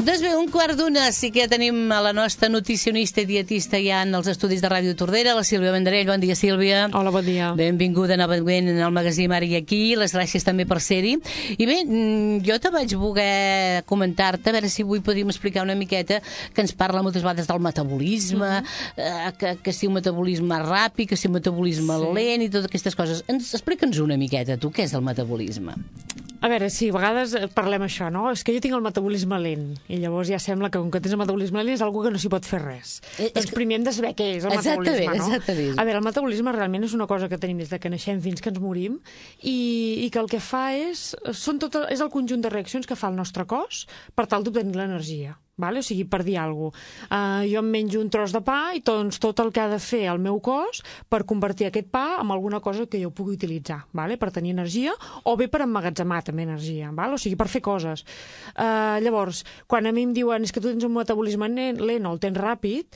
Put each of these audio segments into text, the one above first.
Doncs bé, 1:15, sí que ja tenim a la nostra nutricionista i dietista ja en els estudis de Ràdio Tordera, la Sílvia Vendrell. Bon dia, Sílvia. Hola, bon dia. Benvinguda novament al magazín Ara i Aquí. Les gràcies també per ser-hi. I bé, jo te vaig voler comentar-te, a veure si avui podríem explicar una miqueta, que ens parla moltes vegades del metabolisme, que si un metabolisme ràpid, que si un metabolisme lent i totes aquestes coses. Explica'ns una miqueta, tu, què és el metabolisme? A veure, sí, a vegades parlem això, no? És que jo tinc el metabolisme lent, i llavors ja sembla que com que tens el metabolisme lent és algo que no s'hi pot fer res. Doncs primer hem de saber què és el metabolisme, no? Exactament. A veure, el metabolisme realment és una cosa que tenim des de que naixem fins que ens morim, i que el que fa és el conjunt de reaccions que fa el nostre cos per tal d'obtenir l'energia. Vale? O sigui, per dir alguna cosa. Jo em menjo un tros de pa i doncs tot el que ha de fer el meu cos per convertir aquest pa en alguna cosa que jo pugui utilitzar, vale? Per tenir energia, o bé per emmagatzemar també energia, vale? O sigui, per fer coses. Llavors, quan a mi em diuen és que tu tens un metabolisme lent o el tens ràpid,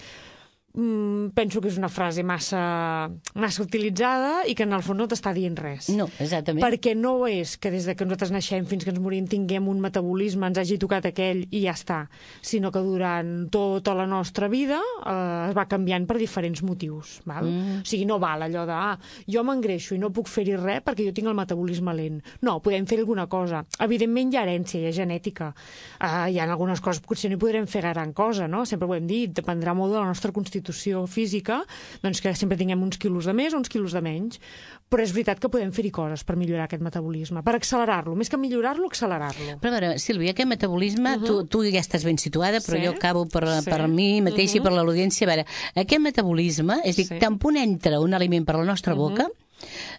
penso que és una frase massa utilitzada i que en el fons no t'està dient res. No, exactament. Perquè no és que des de que nosaltres naixem fins que ens morim tinguem un metabolisme, ens hagi tocat aquell i ja està, sinó que durant tota la nostra vida es va canviant per diferents motius. Val? O sigui, no val allò de jo m'engreixo i no puc fer-hi res perquè jo tinc el metabolisme lent. No, podem fer alguna cosa. Evidentment hi ha herència, hi ha genètica. Hi ha algunes coses, potser no hi podrem fer gran cosa, no? Sempre ho hem dit, dependrà molt de la nostra constitució física, doncs que sempre tinguem uns quilos de més o uns quilos de menys. Però és veritat que podem fer-hi coses per millorar aquest metabolisme, per accelerar-lo, més que millorar-lo, accelerar-lo. Però a veure, Sílvia, aquest metabolisme, tu ja estàs ben situada, però jo acabo per mi mateixa i per l'audiència. A veure, aquest metabolisme, és a dir, tan punt entra un aliment per la nostra boca,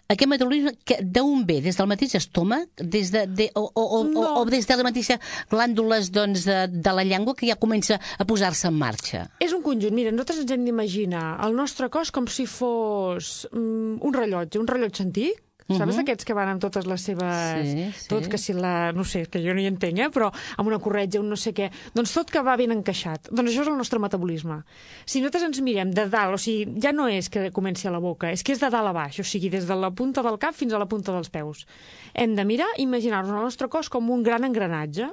aquest metabolisme d'on ve? Des del mateix estómac? O des de les mateixes glàndules de la llengua que ja comença a posar-se en marxa? És un conjunt. Mira, nosaltres ens hem d'imaginar el nostre cos com si fos un rellotge antic. Saps d'aquests que van amb totes les seves... Sí. Tot, que si la... No sé, que jo no hi entenc, però amb una corretja, un no sé què... Doncs tot que va ben encaixat. Doncs això és el nostre metabolisme. Si nosaltres ens mirem de dalt, o sigui, ja no és que comenci a la boca, és que és de dalt a baix, o sigui, des de la punta del cap fins a la punta dels peus. Hem de mirar i imaginar-nos el nostre cos com un gran engranatge.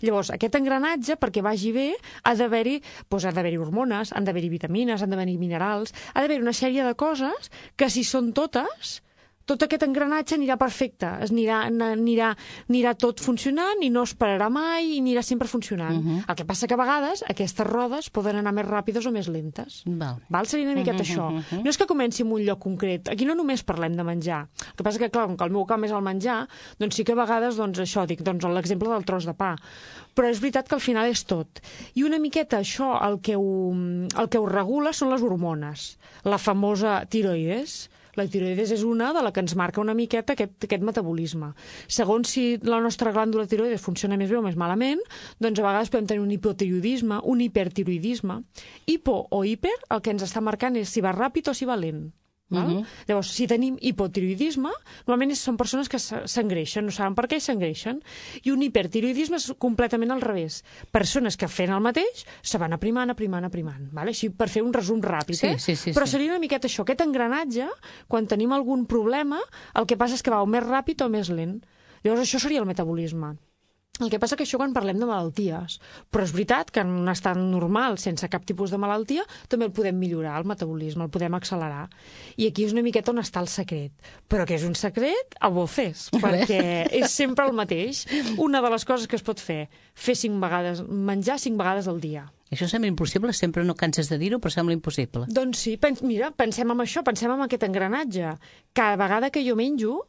Llavors, aquest engranatge, perquè vagi bé, ha d'haver-hi hormones, han d'haver-hi vitamines, han d'haver-hi minerals, ha d'haver-hi una sèrie de coses que, si són totes, tot aquest engranatge anirà perfecte, anirà tot funcionant i no es pararà mai i anirà sempre funcionant. El que passa que a vegades aquestes rodes poden anar més ràpides o més lentes. Val? Seria una miqueta això. No és que comenci en un lloc concret. Aquí no només parlem de menjar. El que passa que, clar, com que el meu camp és el menjar, doncs sí que a vegades, això, dic, l'exemple del tros de pa. Però és veritat que al final és tot. I una miqueta això, el que ho regula són les hormones. La famosa tiroides. La tiroides és una de la que ens marca una miqueta aquest metabolisme. Segons si la nostra glàndula tiroides funciona més bé o més malament, doncs a vegades podem tenir un hipotiroidisme, un hipertiroidisme. Hipo o hiper, el que ens està marcant és si va ràpid o si va lent. Llavors, si tenim hipotiroidisme, normalment són persones que s'engreixen, no saben per què s'engreixen, i un hipertiroidisme és completament al revés. Persones que fent el mateix se van aprimant. Vale? Així per fer un resum ràpid. Però seria una miqueta això, aquest engranatge, quan tenim algun problema, el que passa és que va o més ràpid o més lent. Llavors això seria el metabolisme. El que passa que això quan parlem de malalties, però és veritat que en un estat normal, sense cap tipus de malaltia, també el podem millorar, el metabolisme, el podem accelerar. I aquí és una miqueta on està el secret. Però que és un secret a voces, perquè és sempre el mateix. Una de les coses que es pot fer menjar 5 vegades al dia. Això sembla impossible, sempre no canses de dir-ho, però sembla impossible. Doncs sí, mira, pensem en això, pensem en aquest engranatge. Cada vegada que jo menjo,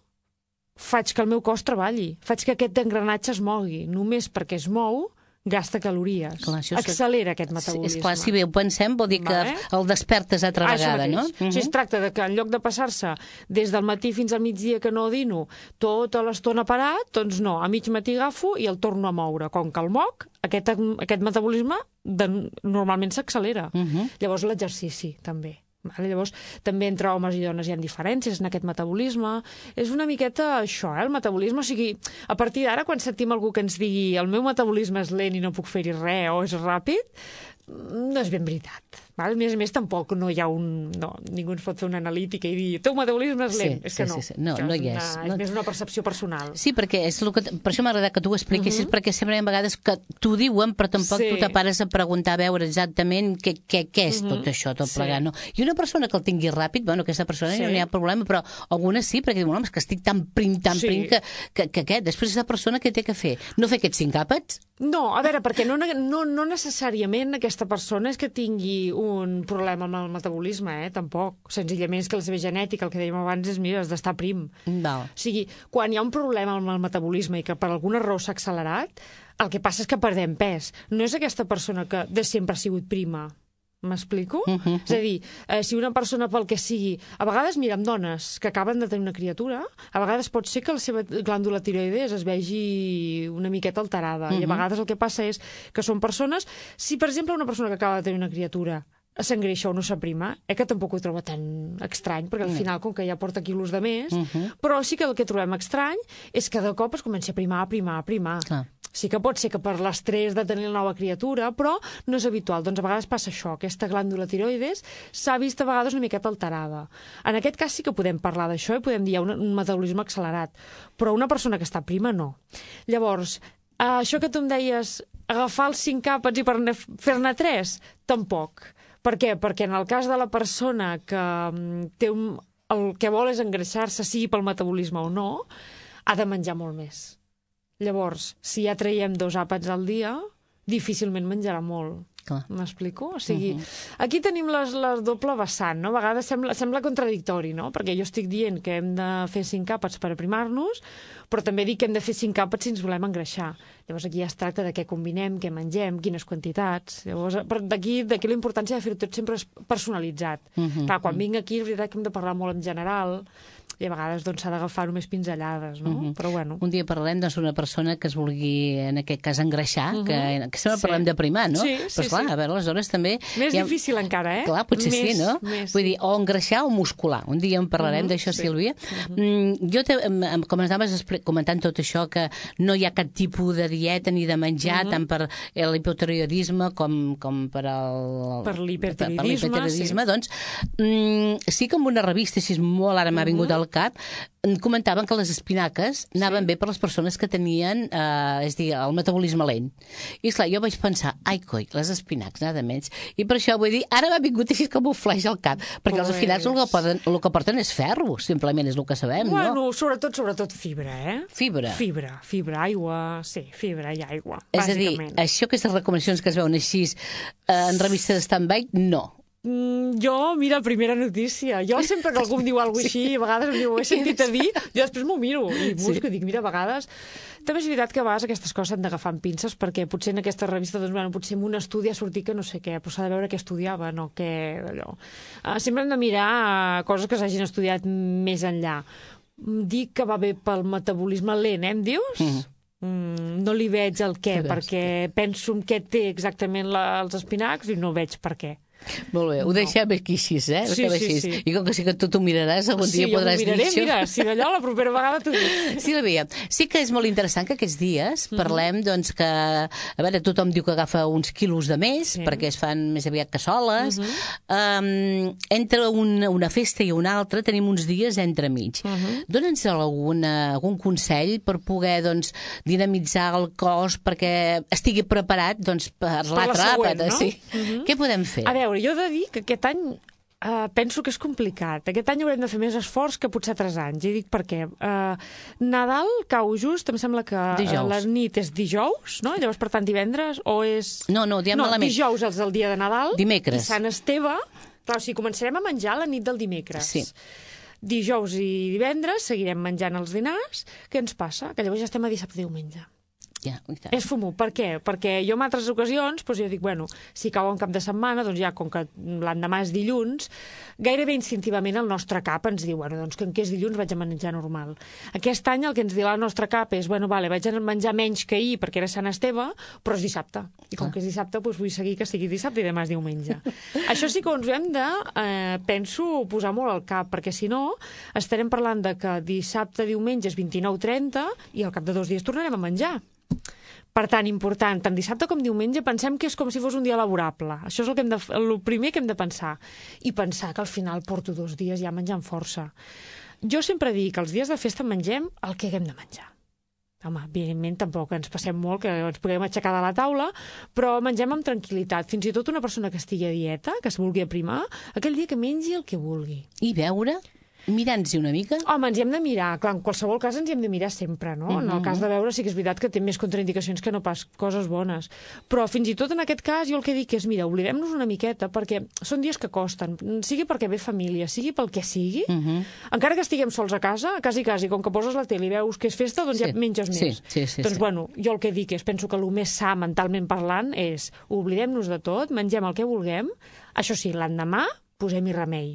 faig que el meu cos treballi, faig que aquest engranatge es mogui. Només perquè es mou, gasta calories. Clar, accelera aquest metabolisme. És clar, si bé ho pensem, vol dir que el despertes altra vegada, no? Si es tracta de que en lloc de passar-se des del matí fins al migdia que no dino tota l'estona parat, doncs no, a mig matí agafo i el torno a moure. Com que el moc, aquest metabolisme normalment s'accelera. Llavors l'exercici també. Llavors, també entre homes i dones hi ha diferències en aquest metabolisme. És una miqueta això, el metabolisme. O sigui, a partir d'ara, quan sentim algú que ens digui el meu metabolisme és lent i no puc fer-hi res o és ràpid, no és ben veritat. Val? A més, tampoc no hi ha ningú ens pot fer una analítica i dir el teu metabolisme és lent. És que no. No hi és. És més una percepció personal. Sí, perquè per això m'ha agradat que tu ho expliquessis, perquè sempre hi ha vegades que t'ho diuen, però tampoc tu te pares a preguntar, a veure exactament què és tot això, tot plegat. No? I una persona que el tingui ràpid, bueno, aquesta persona no hi ha problema, però algunes sí, perquè diuen, home, és que estic tan prim que després aquesta persona què té que fer? No fer aquests 5 àpats? No, a veure, perquè no necessàriament aquesta persona és que tingui un problema amb el metabolisme, tampoc. Senzillament és que la seva genètica, el que dèiem abans, és, mira, has d'estar prim. Val. O sigui, quan hi ha un problema amb el metabolisme i que per alguna raó s'ha accelerat, el que passa és que perdem pes. No és aquesta persona que de sempre ha sigut prima. M'explico? És a dir, si una persona pel que sigui... A vegades, mira, amb dones que acaben de tenir una criatura, a vegades pot ser que la seva glàndula tiroides es vegi una miqueta alterada. I a vegades el que passa és que són persones... Si, per exemple, una persona que acaba de tenir una criatura s'engreixa o no s'aprima, que tampoc ho troba tan estrany, perquè al final, com que ja porta quilos de més, però sí que el que trobem estrany és que de cop es comença a primar. Sí que pot ser que per l'estrès de tenir la nova criatura, però no és habitual. Doncs a vegades passa això, aquesta glàndula tiroides s'ha vist a vegades una miqueta alterada. En aquest cas sí que podem parlar d'això i podem dir un metabolisme accelerat, però una persona que està prima no. Llavors, això que tu em deies, agafar els 5 àpats i fer-ne 3? Tampoc. Per què? Perquè en el cas de la persona que té el que vol és engreixar-se, sigui pel metabolisme o no, ha de menjar molt més. Llavors, si ja traiem 2 àpats al dia, difícilment menjarà molt. M'explico? O sigui, aquí tenim les doble vessant, no? A vegades sembla contradictori, no? Perquè jo estic dient que hem de fer 5 àpats per aprimar-nos, però també dic que hem de fer 5 àpats si ens volem engreixar. Llavors aquí ja es tracta de què combinem, què mengem, quines quantitats. Llavors, d'aquí la importància de fer-ho tot sempre personalitzat. Clar, quan vinc aquí és veritat que hem de parlar molt en general, i a vegades s'ha d'agafar només pinzellades, no? Però bueno. Un dia parlarem d'una persona que es vulgui, en aquest cas, engreixar, que sempre parlem de primar, no? Però esclar, a veure, aleshores també... Més difícil encara, Clar, potser sí, no? Vull dir, o engreixar o muscular. Un dia en parlarem d'això, Sílvia. Jo, com ens anaves comentant tot això, que no hi ha cap tipus de dieta ni de menjar, tant per l'hipotiroidisme com per l'hipertiroidisme, doncs sí que en una revista, si és molt ara m'ha vingut al cap, comentaven que les espinaques anaven bé per les persones que tenien el metabolisme lent. I esclar, jo vaig pensar, ai coi, les espinacs, nada menys. I per això vull dir, ara m'ha vingut així com un flaix al cap, perquè els espinacs el que porten és ferro, simplement és el que sabem, no? Bueno, sobretot fibra, Fibra, aigua, sí, fibra i aigua, bàsicament. És a dir, això, aquestes recomanacions que es veuen així en revistes de stand-by, no. Jo, mira, primera notícia. Jo sempre que algú em diu alguna cosa així, a vegades em diu, ho he sentit a dir, jo després m'ho miro i busco i dic, mira, a vegades... També és veritat que a vegades aquestes coses s'han d'agafar amb pinces, perquè potser en aquesta revista, potser en un estudi ha sortit que no sé què, però s'ha de veure què estudiava, no què... allò. Sempre hem de mirar coses que s'hagin estudiat més enllà. Dic que va bé pel metabolisme lent, em dius? No li veig el què, perquè penso en què té exactament els espinacs i no veig per què. Molt bé, ho deixem aquí així, Sí. I com que sí que tu t'ho miraràs, algun dia podràs dir això. Sí, jo m'ho miraré, mira, si d'allò la propera vegada t'ho dic. Sílvia, sí que és molt interessant que aquests dies parlem, doncs, que, a veure, tothom diu que agafa uns quilos de més, perquè es fan més aviat cassoles. Entre una festa i una altra tenim uns dies entremig. Dóna'ns algun consell per poder, doncs, dinamitzar el cos perquè estigui preparat, doncs, per l'altre àpat, no? Què podem fer? A veure, jo he de dir que aquest any penso que és complicat. Aquest any haurem de fer més esforç que potser 3 anys. I dic per què. Nadal cau just, em sembla que la nit és dijous, no? Llavors, per tant, divendres, o és... No, diem malament. Dijous és el dia de Nadal. Dimecres. I Sant Esteve. Clar, o sigui, començarem a menjar la nit del dimecres. Sí. Dijous i divendres seguirem menjant els dinars. Què ens passa? Que llavors ja estem a dissabte i diumenge. És fumó. Per què? Perquè jo en altres ocasions, doncs jo dic, bueno, si cau un cap de setmana, doncs ja, com que l'endemà és dilluns, gairebé instintivament el nostre cap ens diu, bueno, doncs que és dilluns vaig a menjar normal. Aquest any el que ens dirà el nostre cap és, bueno, vale, vaig a menjar menys que ahir perquè era Sant Esteve, però és dissabte. I com que és dissabte, doncs vull seguir que sigui dissabte i demà és diumenge. Això sí que ens ho hem de, penso, posar molt al cap, perquè si no, estarem parlant de que dissabte, diumenge és 29-30 i al cap de 2 dies tornarem a menjar. Per tant, important, tant dissabte com diumenge pensem que és com si fos un dia laborable. Això és el primer que hem de pensar. I pensar que al final porto 2 dies ja menjant força. Jo sempre dic que els dies de festa mengem el que haguem de menjar. Home, evidentment tampoc ens passem molt, que ens puguem aixecar de la taula, però mengem amb tranquil·litat. Fins i tot una persona que estigui a dieta, que es vulgui aprimar, aquell dia que mengi el que vulgui. I beure? Mirant-s'hi una mica? Home, ens hi hem de mirar. Clar, en qualsevol cas ens hi hem de mirar sempre, no? En el cas de beure sí que és veritat que té més contraindicacions que no pas coses bones. Però fins i tot en aquest cas jo el que dic és, mira, oblidem-nos una miqueta, perquè són dies que costen, sigui perquè ve família, sigui pel que sigui, encara que estiguem sols a casa, quasi, com que poses la tele i veus que és festa, doncs ja menges més. Doncs bueno, jo el que dic és, penso que el més sa mentalment parlant és, oblidem-nos de tot, mengem el que vulguem, això sí, l'endemà posem-hi remei.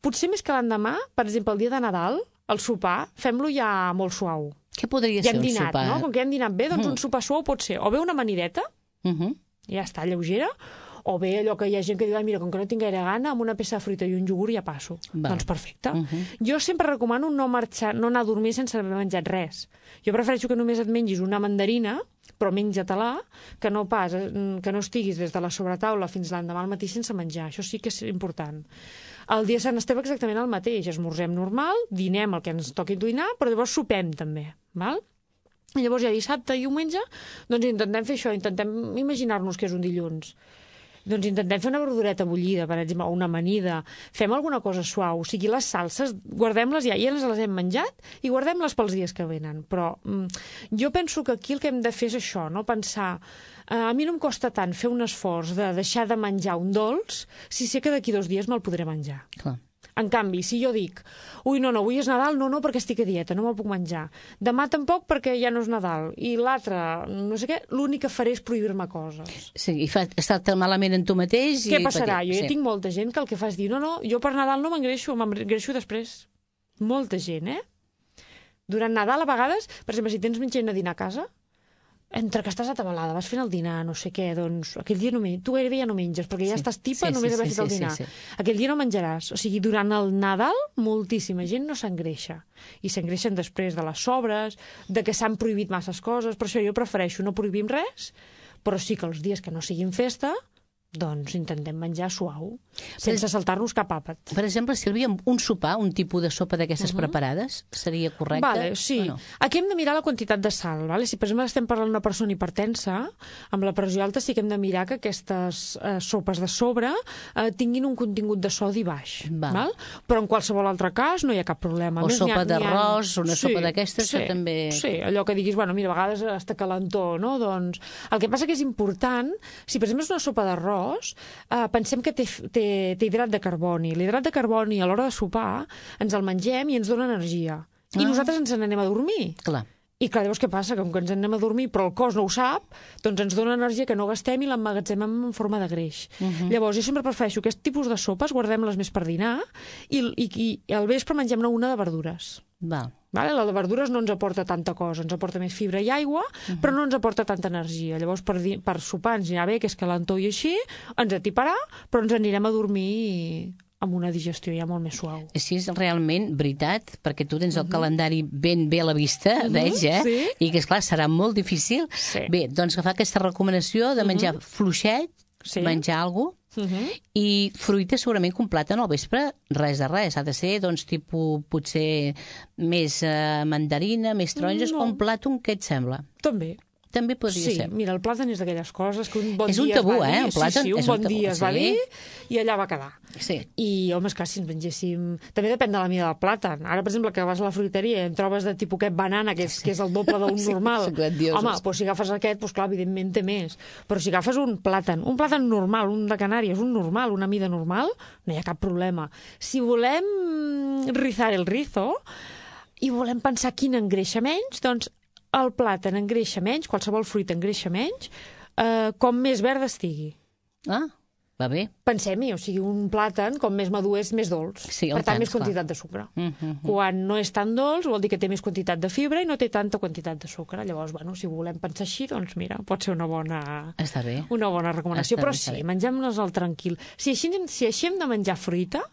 Potser més que l'endemà, per exemple, el dia de Nadal, el sopar, fem-lo ja molt suau. Què podria ser un sopar? No? Com que hem dinat bé, doncs un sopar suau pot ser o bé una amanideta, ja està, lleugera, o bé allò que hi ha gent que diu, mira, com que no tinc gaire gana, amb una peça de fruita i un iogurt ja passo. Doncs perfecte. Jo sempre recomano no anar a dormir sense haver menjat res. Jo prefereixo que només et mengis una mandarina, però menja-te-la, que no estiguis des de la sobretaula fins l'endemà al matí sense menjar. Això sí que és important. El dia de Sant Esteve exactament el mateix. Esmorzem normal, dinem el que ens toqui dinar, però llavors sopem també. Val? I llavors ja dissabte i diumenge doncs intentem fer això, intentem imaginar-nos que és un dilluns. Doncs intentem fer una verdureta bullida, per exemple, o una amanida. Fem alguna cosa suau. O sigui, les salses, guardem-les ja ens les hem menjat i guardem-les pels dies que venen. Però jo penso que aquí el que hem de fer és això, no? Pensar, a mi no em costa tant fer un esforç de deixar de menjar un dolç si sé que d'aquí 2 dies me'l podré menjar. Clar. En canvi, si jo dic, no, avui és Nadal, no, perquè estic a dieta, no me'l puc menjar. Demà tampoc perquè ja no és Nadal. I l'altre, no sé què, l'únic que faré és prohibir-me coses. Sí, i estar malament en tu mateix. Què passarà? Jo ja tinc molta gent que el que fa és dir, no, jo per Nadal no m'engreixo, m'engreixo després. Molta gent, Durant Nadal, a vegades, per exemple, si tens gent a dinar a casa, entre que estàs atabalada, vas fent el dinar, no sé què, doncs aquell dia tu gairebé ja no menges, perquè ja estàs tipa només d'haver fet el dinar. Aquell dia no menjaràs. O sigui, durant el Nadal, moltíssima gent no s'engreixa. I s'engreixen després de les sobres, de que s'han prohibit masses coses. Per això jo prefereixo no prohibim res, però sí que els dies que no siguin festa, doncs intentem menjar suau, sense saltar-nos cap àpat. Per exemple, Sílvia, un sopar, un tipus de sopa d'aquestes preparades, seria correcte? Vale, sí. No? Aquí hem de mirar la quantitat de sal. Vale? Si, per exemple, estem parlant d'una persona hipertensa, amb la pressió alta sí que hem de mirar que aquestes sopes de sobre tinguin un contingut de sodi baix. Val? Però en qualsevol altre cas no hi ha cap problema. O sopa d'arròs, una sopa d'aquestes, que també... Sí, allò que diguis, mira, a vegades està calentó, no? Doncs el que passa que és important, si per exemple és una sopa d'arròs, pensem que té hidrat de carboni. L'hidrat de carboni a l'hora de sopar ens el mengem i ens dona energia. I nosaltres ens n'anem a dormir. Clar. I clar, llavors què passa? Com que ens anem a dormir però el cos no ho sap, doncs ens dona energia que no gastem i l'emmagatzemem en forma de greix. Llavors jo sempre prefereixo aquest tipus de sopes, guardem-les més per dinar i al vespre mengem-ne una de verdures. Vale? La de verdures no ens aporta tanta cosa, ens aporta més fibra i aigua, però no ens aporta tanta energia. Llavors per sopar ens anirà bé, que és calentó i així, ens atiparà, però ens anirem a dormir amb una digestió ja molt més suau. Sí, és realment veritat, perquè tu tens el calendari ben bé a la vista, veig, Sí. I que, esclar, serà molt difícil. Sí. Bé, doncs agafar aquesta recomanació de menjar fluixet, menjar alguna cosa, i fruita segurament que un plàtan al vespre, res de res. Ha de ser, doncs, tipus, potser més mandarina, més taronges, o un plàtan, què et sembla? També podria ser. Mira, el plàtan és d'aquelles coses que un bon dia es va dir... És un tabú, el plàtan. Sí, un bon dia es va dir i allà va quedar. Sí. I, home, esclar, si ens mengéssim... També depèn de la mida del plàtan. Ara, per exemple, que vas a la fruiteria i en trobes de tipus aquest banana, que és el doble d'un normal. Home, doncs si agafes aquest, doncs clar, evidentment té més. Però si agafes un plàtan normal, un de Canàries, un normal, una mida normal, no hi ha cap problema. Si volem rizar el rizo i volem pensar quin engreixa menys, doncs el plàtan engreixa menys, qualsevol fruita engreixa menys, com més verd estigui. Va bé. Pensem-hi, o sigui, un plàtan, com més madur és més dolç. Sí, per tant, més quantitat de sucre. Quan no és tan dolç, vol dir que té més quantitat de fibra i no té tanta quantitat de sucre. Llavors, bueno, si volem pensar així, doncs mira, pot ser una bona recomanació. Però sí, mengem-nos el tranquil. Si així hem de menjar fruita,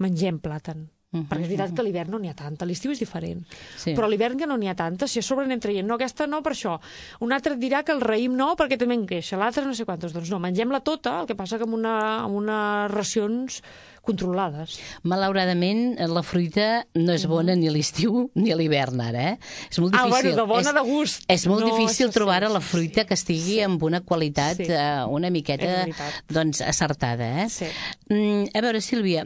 mengem plàtan. Perquè és veritat que a l'hivern no n'hi ha tanta, l'estiu és diferent. Però a l'hivern que no n'hi ha tanta, si a sobre anem traient, no, aquesta no per això. Un altre et dirà que el raïm no perquè també en queixa, l'altre no sé quantos. Doncs no, mengem-la tota, el que passa que amb unes racions controlades. Malauradament, la fruita no és bona ni a l'estiu ni a l'ivern, ara, És molt difícil. De bona, de gust. És molt difícil trobar la fruita que estigui amb una qualitat una miqueta acertada, A veure, Sílvia,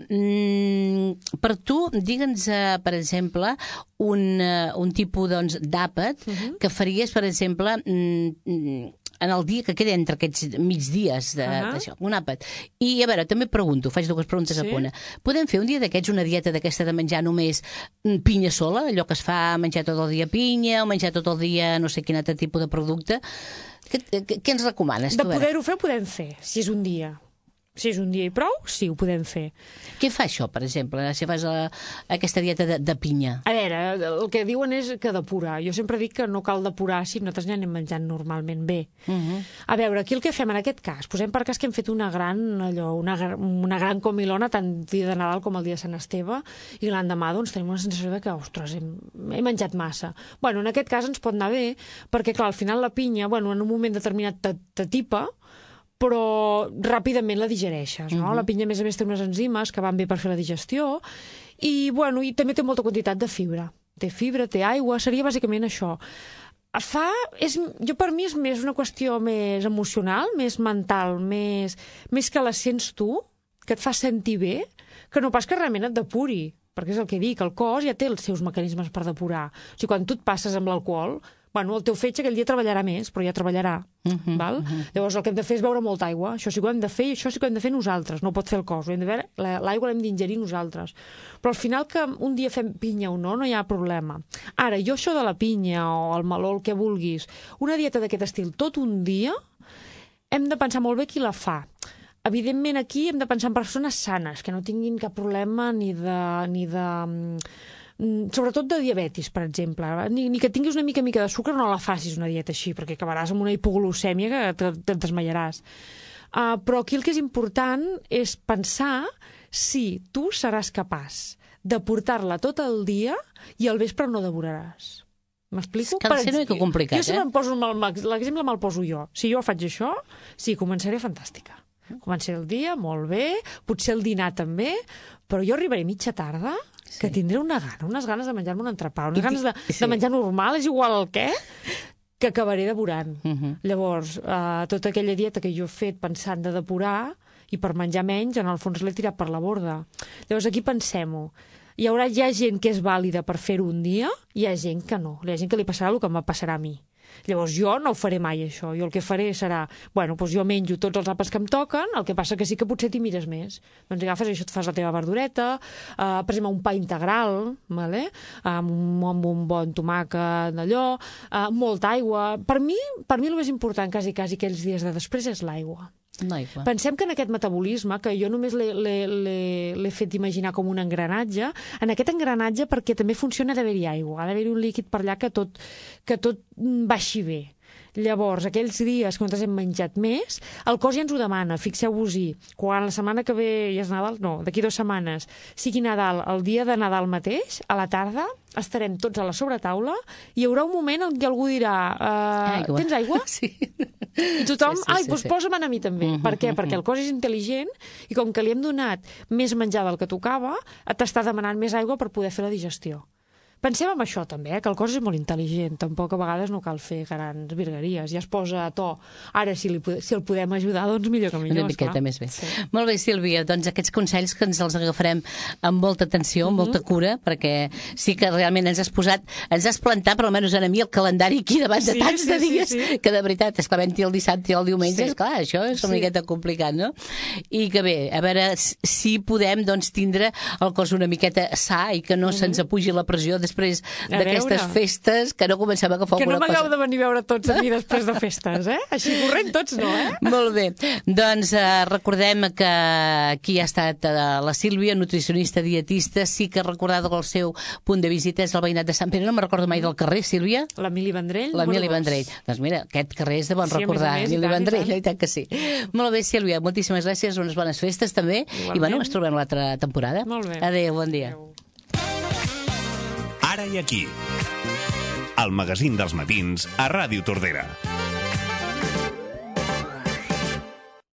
per tu, digue'ns, per exemple, un tipus d'àpat que faries, per exemple, en el dia que queda entre aquests migdies d'això, un àpat. I, a veure, també pregunto, faig dues preguntes a punt. Podem fer un dia d'aquests una dieta d'aquesta de menjar només pinya sola, allò que es fa menjar tot el dia pinya o menjar tot el dia no sé quin altre tipus de producte? Què ens recomanes? De poder-ho fer, ho podem fer, si és un dia. Si és un dia i prou, sí, ho podem fer. Què fa això, per exemple, si fas aquesta dieta de pinya? A veure, el que diuen és que depurar. Jo sempre dic que no cal depurar si nosaltres ja anem menjant normalment bé. A veure, aquí el que fem en aquest cas, posem per cas que hem fet una gran comilona tant el dia de Nadal com el dia de Sant Esteve i l'endemà doncs tenim una sensació de que, ostres, he menjat massa. Bueno, en aquest cas ens pot anar bé perquè, clar, al final la pinya, en un moment determinat t'atipa, però ràpidament la digereixes, no? La pinya, a més té unes enzimes que van bé per fer la digestió i també té molta quantitat de fibra. Té fibra, té aigua, seria bàsicament això. Per mi és més una qüestió més emocional, més mental, més que la sents tu, que et fa sentir bé, que no pas que realment et depuri, perquè és el que dic, el cos ja té els seus mecanismes per depurar. O sigui, quan tu et passes amb l'alcohol, el teu fetge aquell dia treballarà més, però ja treballarà. Llavors el que hem de fer és beure molta aigua. Això sí que ho hem de fer i això sí que ho hem de fer nosaltres. No ho pot fer el cos. L'aigua l'hem d'ingerir nosaltres. Però al final que un dia fem pinya o no hi ha problema. Ara, jo això de la pinya o el meló, el que vulguis, una dieta d'aquest estil tot un dia, hem de pensar molt bé qui la fa. Evidentment aquí hem de pensar en persones sanes, que no tinguin cap problema ni de sobretot de diabetis, per exemple. Ni que tinguis una mica de sucre no la facis una dieta així, perquè acabaràs amb una hipoglucèmia que te'n desmaiaràs. Però aquí el que és important és pensar si tu seràs capaç de portar-la tot el dia i al vespre no devoraràs. M'explico? Cal ser una mica complicat, Jo sempre em poso l'exemple me'l poso jo. Si jo faig això, sí, començaré fantàstica. Començaré el dia molt bé, potser el dinar també, però jo arribaré mitja tarda que tindré unes ganes de menjar-me un entrepà, unes ganes de menjar normal, és igual el què, que acabaré devorant. Llavors, tota aquella dieta que jo he fet pensant de depurar i per menjar menys, en el fons l'he tirat per la borda. Llavors aquí pensem-ho. Hi ha gent que és vàlida per fer-ho un dia i hi ha gent que no. Hi ha gent que li passarà el que em passarà a mi. Llavors jo no ho faré mai, això. Jo el que faré serà, doncs jo menjo tots els àpats que em toquen, el que passa que sí que potser t'hi mires més. Doncs agafes això, et fas la teva verdureta, per exemple, un pa integral, amb un bon tomàquet d'allò, molta aigua. Per mi el més important, quasi aquells dies de després, és l'aigua. Pensem que en aquest metabolisme, que jo només l'he fet imaginar com un engranatge, en aquest engranatge perquè també funciona d'haver-hi aigua, ha d'haver-hi un líquid per allà que tot baixi bé. Llavors, aquells dies que nosaltres hem menjat més, el cos ja ens ho demana, fixeu-vos-hi. Quan la setmana que ve ja és Nadal, no, d'aquí 2 setmanes, sigui Nadal, el dia de Nadal mateix, a la tarda, estarem tots a la sobretaula i hi haurà un moment en què algú dirà tens aigua? Sí. I tothom, doncs posa'm a mi també. Per què? Perquè el cos és intel·ligent i com que li hem donat més menjar del que tocava, t'està demanant més aigua per poder fer la digestió. Pensem en això també, que el cos és molt intel·ligent, tampoc a vegades no cal fer grans virgueries, ja es posa a to. Ara, si el podem ajudar, doncs millor que millor. Una miqueta més bé. Sí. Molt bé, Sílvia, doncs aquests consells que ens els agafarem amb molta atenció, amb molta cura, perquè sí que realment ens has plantat, per almenys a mi, el calendari aquí davant de tants de dies, que de veritat, és clar, havent-hi el dissabte i el diumenge, és clar, això és una miqueta complicat, no? I que bé, a veure si podem tindre el cos una miqueta sa i que no se'ns apugi la pressió després d'aquestes festes, que no comencem a agafar alguna cosa. Que no m'hagueu de venir a veure tots a mi després de festes, Així corrent tots no, Molt bé. Doncs recordem que aquí ha estat la Sílvia, nutricionista, dietista, sí que recordada que el seu punt de visita és el veïnat de Sant Pere, no me'n recordo mai del carrer, Sílvia? L'Emili Vendrell. L'Emili Vendrell. Doncs mira, aquest carrer és de bon recordar, Emili Vendrell, i tant que sí. Molt bé, Sílvia, moltíssimes gràcies, unes bones festes també, i bueno, ens trobem l'altra temporada. Molt bé. Adéu, bon dia. Adéu. Ara i aquí. El magazín dels matins a Ràdio Tordera.